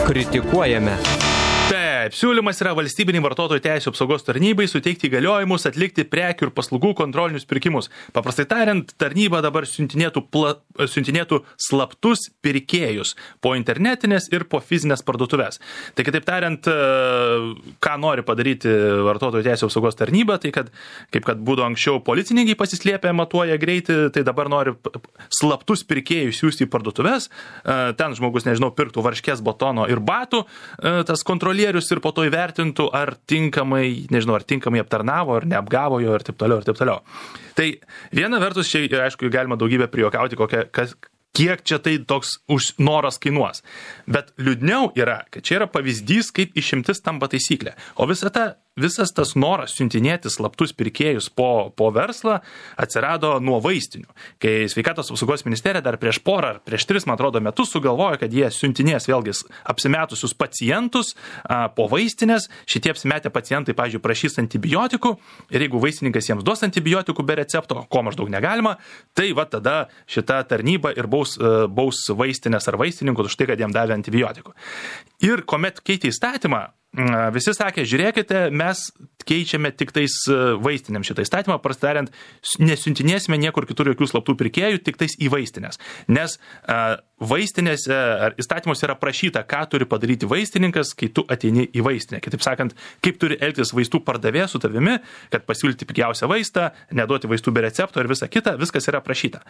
Kritikuojame. Taip, siūlymas yra valstybiniai vartotojų teisių apsaugos tarnybai suteikti įgaliojimus atlikti prekių ir paslaugų kontrolinius pirkimus. Paprastai tariant, tarnyba dabar siuntinėtų slaptus pirkėjus po internetinės ir po fizinės parduotuvės. Tai kitaip tariant, ką nori padaryti vartotojų teisių apsaugos tarnyba, tai kad būdavo anksčiau policininkai pasislėpę, matuoja greitį, tai dabar nori slaptus pirkėjus siųsti į parduotuvės. Ten žmogus, pirktų varškės, batono ir batų, tas kontrolierius ir po to įvertintų, ar tinkamai aptarnavo, ar neapgavo jo ir taip toliau, ir taip toliau. Tai viena vertus, čia, aišku, galima daugybę prijuokauti, kiek čia tai toks noras kainuos. Bet liūdniau yra, kad čia yra pavyzdys, kaip išimtis tampa taisyklė. O visas tas noras siuntinėti slaptus pirkėjus po verslą atsirado nuo vaistinių. Kai Sveikatos apsaugos ministerija dar prieš 3, man atrodo, metus sugalvojo, kad jie siuntinės vėlgi apsimetusius pacientus po vaistinės. Šitie apsimetę pacientai, pavyzdžiui, prašys antibiotikų ir jeigu vaistininkas jiems duos antibiotikų be recepto, ko maždaug negalima, tai tada šita tarnyba ir baus vaistinės ar vaistininkus už tai, kad jiem davė antibiotikų. Ir kuomet keitė įstatymą, visi sakė, žiūrėkite, mes keičiame tik tais vaistinėm šitą įstatymą, prastariant, nesiuntinėsime niekur kitur jokių slaptų pirkėjų, tik tais į vaistinės. Nes vaistinėse ar įstatymuose yra prašyta, ką turi padaryti vaistininkas, kai tu ateini į vaistinę. Kitaip sakant, kaip turi elgtis vaistų pardavėjas su tavimi, kad pasiūlyti pigiausią vaistą, neduoti vaistų be recepto ir visa kita, viskas yra prašyta.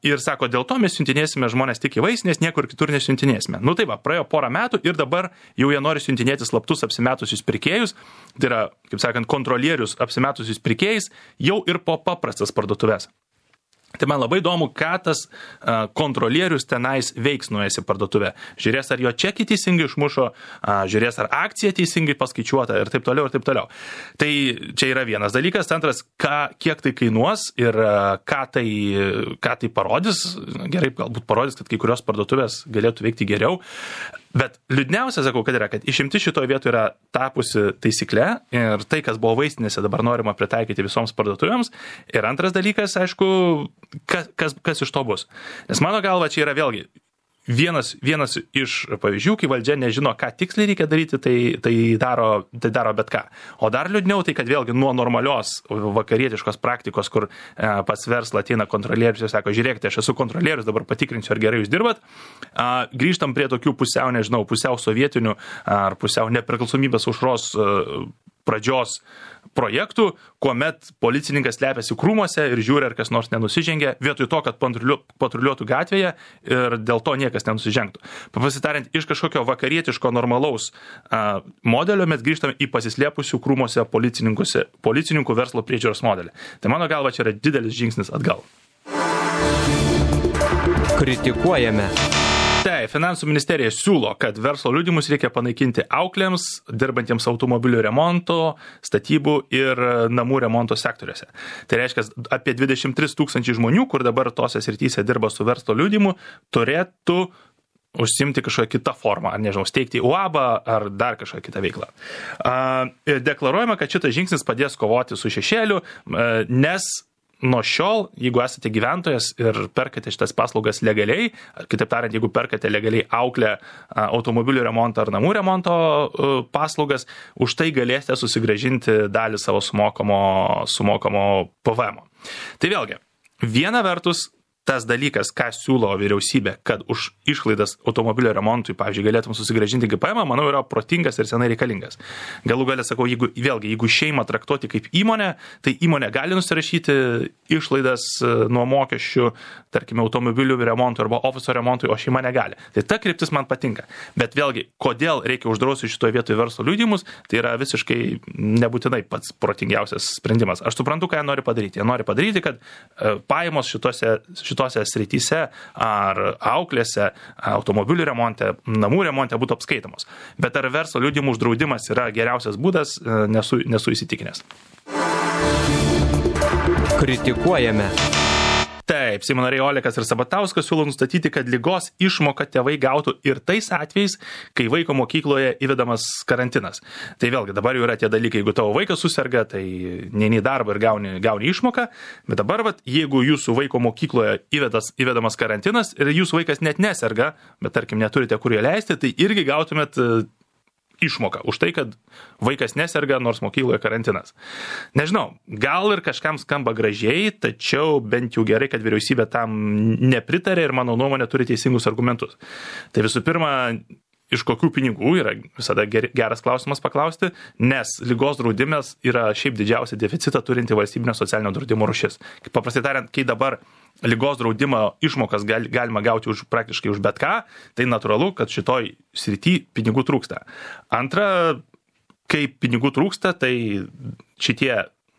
Ir sako, dėl to mes siuntinėsime žmonės tik į vaistinės, niekur kitur nesiuntinėsime. Nu tai va, praėjo porą metų ir dabar jau jie nori siuntinėti slaptus apsimetusius pirkėjus, tai yra, kaip sakant, kontrolierius apsimetusius pirkėjais, jau ir po paprastas parduotuvės. Tai man labai įdomu, ką tas kontrolierius tenais veiks nuėjęs į parduotuvę. Žiūrės, ar jo čekį teisingai išmušo, žiūrės, ar akcija teisingai paskaičiuota ir taip toliau, ir taip toliau. Tai čia yra vienas dalykas. Antras, kiek tai kainuos ir ką tai parodys. Gerai, galbūt parodys, kad kai kurios parduotuvės galėtų veikti geriau. Bet liūdniausia, sakau, kad išimti šitoje vietoje yra tapusi taisykle ir tai, kas buvo vaistinėse, dabar norima pritaikyti visoms parduotuvėms. Ir antras dalykas, aišku, kas iš to bus. Nes mano galva čia yra vėlgi vienas iš pavyzdžių, kai valdžia nežino, ką tiksliai reikia daryti, tai daro bet ką. O dar liūdniau tai, kad vėlgi nuo normalios vakarietiškos praktikos, kur pas verslą ateina kontrolierius ir sako, žiūrėkite, aš esu kontrolierius, dabar patikrinsiu, ar gerai jūs dirbat, grįžtam prie tokių pusiau sovietinių ar pusiau nepriklausomybės aušros pradžios projektų, kuomet policininkas slepiasi krūmuose ir žiūri, ar kas nors nenusižengia, vietoj to, kad patruliuotų gatvėje ir dėl to niekas nenusižengtų. Pasitariant, iš kažkokio vakarietiško normalaus modelio mes grįžtame į pasislėpusių krūmuose policininkų verslo priežiūros modelį. Tai mano galva čia yra didelis žingsnis atgal. Kritikuojame. Tai Finansų ministerija siūlo, kad verslo liudijimus reikia panaikinti auklėms, dirbantiems automobilių remonto, statybų ir namų remonto sektoriuose. Tai reiškia, apie 23 000 žmonių, kur dabar tose srityse dirba su verslo liudijimu, turėtų užsimti kažkokią kitą formą, ar steigti UAB ar dar kažkokią kitą veiklą. Deklaruojama, kad šitas žingsnis padės kovoti su šešėliu, nes nuo šiol, jeigu esate gyventojas ir perkate šitas paslaugas legaliai, kitaip tariant, jeigu perkate legaliai auklę automobilių remonto ar namų remonto paslaugas, už tai galėsite susigrąžinti dalį savo sumokamo PVM. Tai vėlgi, viena vertus, tas dalykas, ką siūlo vyriausybė, kad už išlaidas automobilio remontui, pavyzdžiui, galėtum susigrąžinti GPM, manau, yra protingas ir senai reikalingas. Galų galia sakau, jeigu šeimą traktuoti kaip įmonę, tai įmonė gali nusirašyti išlaidas nuo mokesčių, tarkime, automobilių remontui arba ofiso remontui, o šeima negali. Tai ta kryptis man patinka. Bet vėlgi, kodėl reikia uždrausti šitoje vietoje verslo liudijimus, tai yra visiškai nebūtinai pats protingiausias sprendimas. Aš suprantu, ką jie nori padaryti. Jie nori padaryti, kad pajamos šitose srityse ar auklėse, automobilių remonte, namų remonte būtų apskaitomos. Bet ar verslo liudijimų uždraudimas yra geriausias būdas, nesu įsitikinęs. Kritikuojame. Taip, Seimo nariai Olekas ir Sabatauskas siūlo nustatyti, kad ligos išmoką tėvai gautų ir tais atvejais, kai vaiko mokykloje įvedamas karantinas. Tai vėlgi, dabar jau yra tie dalykai, jeigu tavo vaikas suserga, tai neini į darbą ir gauni išmoką, bet dabar, jeigu jūsų vaiko mokykloje įvedamas karantinas ir jūsų vaikas net neserga, bet tarkim neturite kur ją leisti, tai irgi gautumėt išmoką už tai, kad vaikas neserga, nors mokykloje karantinas. Nežinau, gal ir kažkam skamba gražiai, tačiau bent jau gerai, kad vyriausybė tam nepritarė ir mano nuomonė turi teisingus argumentus. Tai visų pirma, iš kokių pinigų yra visada geras klausimas paklausti, nes ligos draudimas yra šiaip didžiausia deficitą turinti valstybinio socialinio draudimo rūšis. Paprastai tariant, kai dabar ligos draudimo išmokas galima gauti praktiškai už bet ką, tai natūralu, kad šitoj srity pinigų trūksta. Antra, kai pinigų trūksta, tai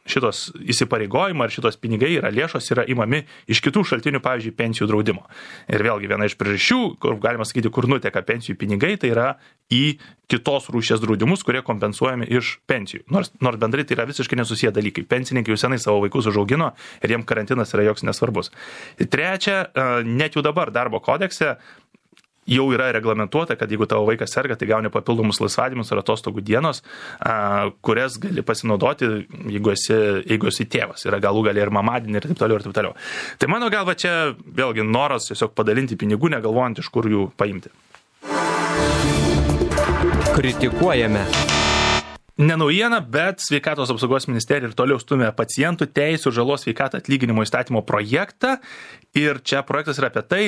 šitos įsipareigojimai ar šitos pinigai lėšos yra imami iš kitų šaltinių, pavyzdžiui, pensijų draudimo. Ir vėlgi viena iš priežasčių, kur galima sakyti, kur nuteka pensijų pinigai, tai yra į kitos rūšies draudimus, kurie kompensuojami iš pensijų. Nors bendrai tai yra visiškai nesusiję dalykai. Pensininkai jau senai savo vaikus užaugino ir jiems karantinas yra joks nesvarbus. Trečia, net jau dabar darbo kodekse jau yra reglamentuota, kad jeigu tavo vaikas serga, tai gauni papildomus laisvadienius ar atostogų dienos, kurias gali pasinaudoti, jeigu esi tėvas. Yra galų gali ir mamadienį ir taip toliau, ir taip toliau. Tai mano galva čia vėlgi noras tiesiog padalinti pinigų, negalvojant, iš kur jų paimti. Kritikuojame. Ne naujiena, bet Sveikatos apsaugos ministerija ir toliau stumia pacientų teisų žalos sveikatą atlyginimo įstatymo projektą. Ir čia projektas yra apie tai,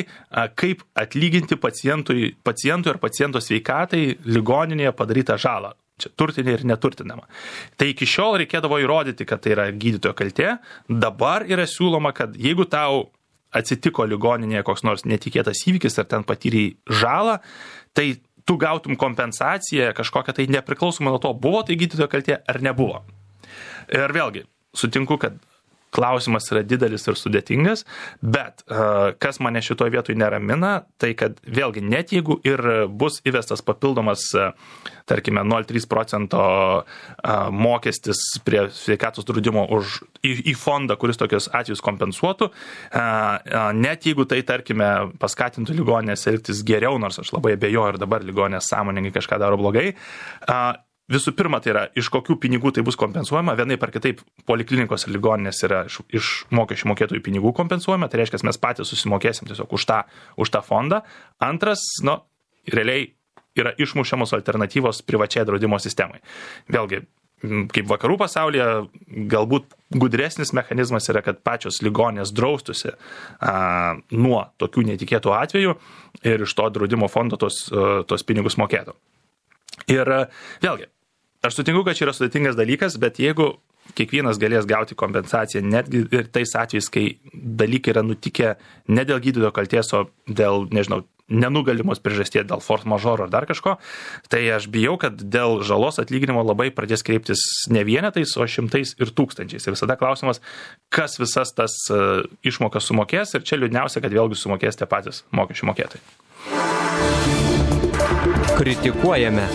kaip atlyginti pacientui ar paciento sveikatai ligoninėje padarytą žalą. Čia turtinė ir neturtinama. Tai iki šiol reikėdavo įrodyti, kad tai yra gydytojo kaltė. Dabar yra siūloma, kad jeigu tau atsitiko ligoninėje koks nors netikėtas įvykis ar ten patyrei žalą, tai tu gautum kompensaciją kažkokią tai nepriklausomai nuo to, buvo tai gydytojo kaltė ar nebuvo. Ir vėlgi, sutinku, kad klausimas yra didelis ir sudėtingas, bet kas mane šitoje vietoje neramina, tai kad vėlgi net jeigu ir bus įvestas papildomas, tarkime, 0,3% mokestis prie sveikatos draudimo į fondą, kuris tokius atvejus kompensuotų, net jeigu tai, tarkime, paskatintų ligoninės elgtis geriau, nors aš labai abejoju ir dabar ligoninės sąmoningai kažką daro blogai, visų pirma, tai yra, iš kokių pinigų tai bus kompensuojama. Vienaip ar kitaip poliklinikos ir ligoninės yra iš mokesčių mokėtojų pinigų kompensuojama. Tai reiškia, mes patys susimokėsim tiesiog už tą fondą. Antras, realiai yra išmušiamos alternatyvos privačiai draudimo sistemai. Vėlgi, kaip vakarų pasaulyje, galbūt gudresnis mechanizmas yra, kad pačios ligoninės draustusi nuo tokių netikėtų atvejų ir iš to draudimo fondo tos pinigus mokėtų. Ir vėlgi, aš sutinku, kad čia yra sudėtingas dalykas, bet jeigu kiekvienas galės gauti kompensaciją netgi ir tais atvejais, kai dalykai yra nutikę ne dėl gydytojo kaltės, o dėl, nežinau, nenugalimos priežasties, dėl force majeure ar dar kažko, tai aš bijau, kad dėl žalos atlyginimo labai pradės kreiptis ne vienetais, o šimtais ir tūkstančiais. Ir visada klausimas, kas visas tas išmokas sumokės, ir čia liūdniausia, kad vėlgi sumokės tie patys mokesčių mokėtojai. Kritikuojame.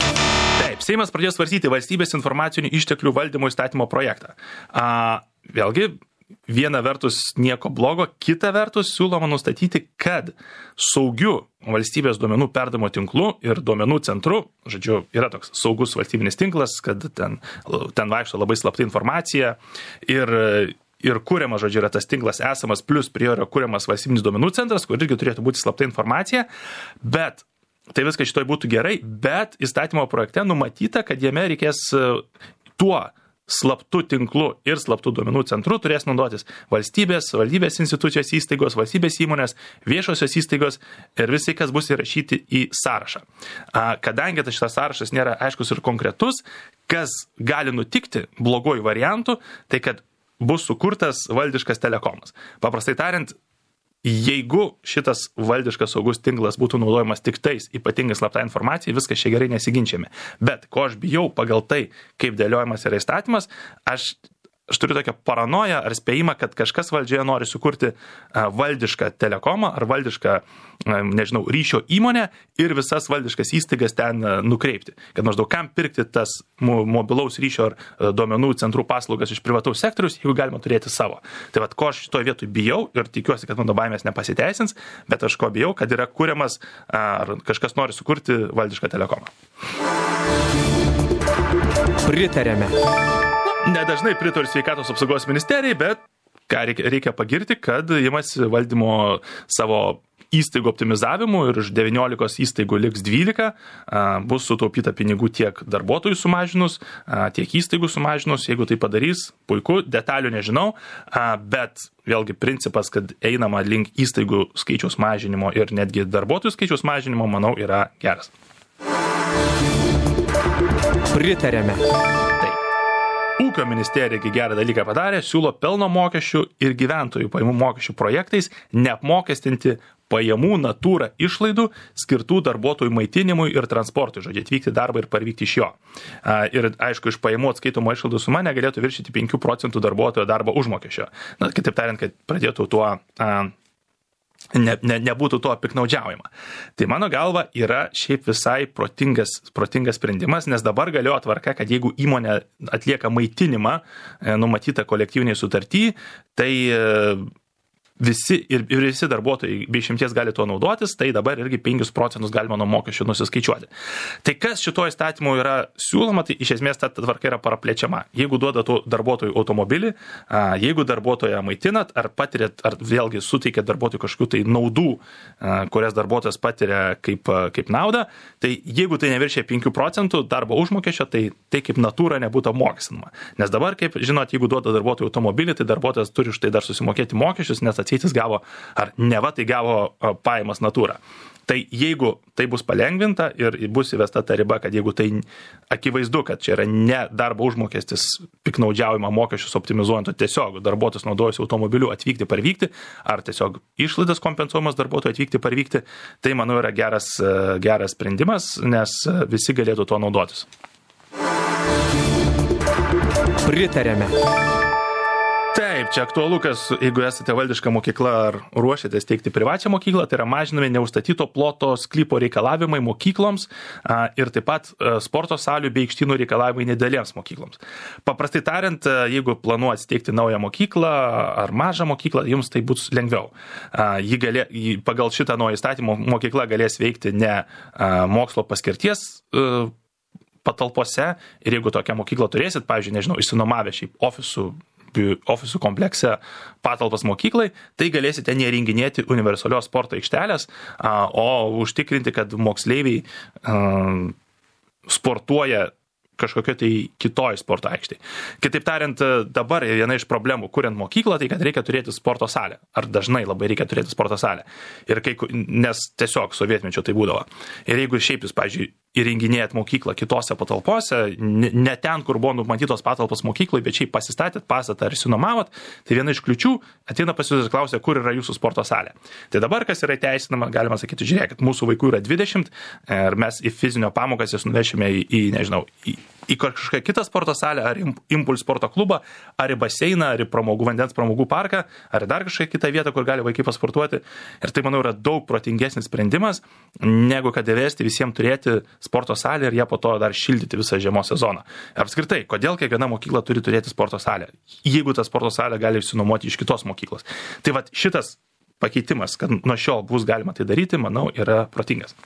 Taip, Seimas pradėjo svarstyti valstybės informacinių išteklių valdymo įstatymo projektą. Vėlgi, viena vertus nieko blogo, kita vertus siūloma nustatyti, kad saugiu valstybės duomenų perdavimo tinklu ir duomenų centru, žodžiu, yra toks saugus valstybinis tinklas, kad ten vaikšto labai slapta informacija ir kuriamas, žodžiu, yra tas tinklas esamas, plus prie jo yra kuriamas valstybinis duomenų centras, kur irgi turėtų būti slapta informacija, bet tai viskas šitoj būtų gerai, bet įstatymo projekte numatyta, kad jame reikės tuo slaptų tinklu ir slaptų duomenų centru turės naudotis valstybės institucijos įstaigos, valstybės įmonės, viešosios įstaigos ir visi, kas bus įrašyti į sąrašą. Kadangi šitas sąrašas nėra aiškus ir konkretus, kas gali nutikti blogojų variantų, tai kad bus sukurtas valdiškas telekomas. Paprastai tariant, jeigu šitas valdiškas saugus tinklas būtų naudojamas tik tais ypatingai slapta informacija, viskas čia gerai nesiginčiame. Bet ko aš bijau pagal tai, kaip dėliojamas yra įstatymas, aš aš turiu tokią paranoją ar spėjimą, kad kažkas valdžioje nori sukurti valdišką telekomą ar valdišką, nežinau, ryšio įmonę ir visas valdiškas įstaigas ten nukreipti. Kad maždaug kam pirkti tas mobilaus ryšio ar duomenų centrų paslaugas iš privataus sektoriaus, jeigu galima turėti savo. Tai vat, ko aš šitoje vietoje bijau ir tikiuosi, kad mano baimės nepasiteisins, bet aš ko bijau, kad yra kuriamas ar kažkas nori sukurti valdišką telekomą. Pritarėme. Nedažnai pritariu sveikatos apsaugos ministerijai, bet ką reikia pagirti, kad imasi valdymo savo įstaigų optimizavimų ir iš 19 įstaigų liks 12, bus sutaupyta pinigų tiek darbuotojų sumažinus, tiek įstaigų sumažinus, jeigu tai padarys, puiku, detalių nežinau, bet vėlgi principas, kad einama link įstaigų skaičiaus mažinimo ir netgi darbuotojų skaičiaus mažinimo, manau, yra geras. Pritarėme. Ūkio ministerija gerą dalyką padarė, siūlo pelno mokesčių ir gyventojų pajamų mokesčių projektais neapmokestinti pajamų natūra išlaidų skirtų darbuotojų maitinimui ir transportui, žodžiu, atvykti darbą ir parvykti iš jo. Ir aišku, iš pajamų atskaitomo išlaidų suma negalėtų viršyti 5% darbuotojo darbo užmokesčio. Na, kitaip tariant, kad pradėtų tuo nebūtų to piknaudžiaujama. Tai mano galva yra šiaip visai protingas sprendimas, nes dabar galioja tvarka, kad jeigu įmonė atlieka maitinimą numatytą kolektyviniai sutartį, tai visi darbuotojai be išimties gali tuo naudotis, tai dabar irgi 5% galima nuo mokesčių nusiskaičiuoti. Tai kas šito įstatymu yra siūloma, tai iš esmės ta tvarka yra paraplečiama. Jeigu duoda darbuotojų automobilį, jeigu darbuotoją maitinat, ar patirėt, ar vėlgi suteikėt darbuotojų kažkokių tai naudų, kurias darbuotojas patiria kaip naudą, tai jeigu tai neviršia 5% darbo užmokesčio, tai kaip natūra nebūtų apmokestinama. Nes dabar, kaip žinot, jeigu duoda darbuotojų automobilį, tai darbuotojas turi už tai dar susimokėti mokesčius, nes atseitis gavo, ar neva tai gavo pajamas natūra. Tai jeigu tai bus palengvinta ir bus įvesta ta riba, kad jeigu tai akivaizdu, kad čia yra ne darbo užmokestis piknaudžiaujama mokesčius optimizuojant, o tiesiog darbuotojas naudojasi automobiliu atvykti, parvykti, ar tiesiog išlaidas kompensuojamas darbuotojui atvykti, parvykti, tai manau yra geras sprendimas, nes visi galėtų to naudotis. Pritarėme. Taip, čia aktualu, kas, jeigu esate valdiška mokykla ar ruošiatės teikti privačią mokyklą, tai yra mažinami neužstatyto ploto sklypo reikalavimai mokykloms ir taip pat sporto salių bei aikštynų reikalavimai nedidelėms mokykloms. Paprastai tariant, jeigu planuojate steigti naują mokyklą ar mažą mokyklą, jums tai bus lengviau. Pagal šitą naują įstatymą mokykla galės veikti ne mokslo paskirties patalpose ir jeigu tokią mokyklą turėsit, pavyzdžiui, nežinau, išsinuomavę šiaip ofisų komplekse patalpas mokyklai, tai galėsite neįrenginėti universalios sporto aikštelės, o užtikrinti, kad moksleiviai sportuoja kažkokio tai kitoj sporto aikštėje. Kitaip tariant, dabar viena iš problemų, kuriant mokyklą, tai kad reikia turėti sporto salę. Ar dažnai labai reikia turėti sporto salę. Nes tiesiog sovietmečio tai būdavo. Ir jeigu šiaip jūs, pavyzdžiui, įrenginėjat mokyklą kitose patalpose, ne ten, kur buvo numatytos patalpos mokyklai, bet šiaip pasistatėt pastatą ar išsinuomavot, tai viena iš kliučių ateina pas jūs ir klausia, kur yra jūsų sporto salė. Tai dabar, kas yra teisinama, galima sakyti, žiūrėkit, mūsų vaikų yra 20 ir mes į fizinio pamokas jas nuvešime į kažkokią kitą sporto salę, ar Impuls sporto klubą, ar į baseiną, ar į vandens pramogų parką, ar dar kažkokią kitą vietą, kur gali vaikai pasportuoti. Ir tai, manau, yra daug protingesnis sprendimas, negu kad įvesti visiems turėti sporto salę ir ją po to dar šildyti visą žiemos sezoną. Apskritai, kodėl kiekviena mokykla turi turėti sporto salę, jeigu tą sporto salę gali išsinuomoti iš kitos mokyklos. Tai vat šitas pakeitimas, kad nuo šiol bus galima tai daryti, manau, yra protingas.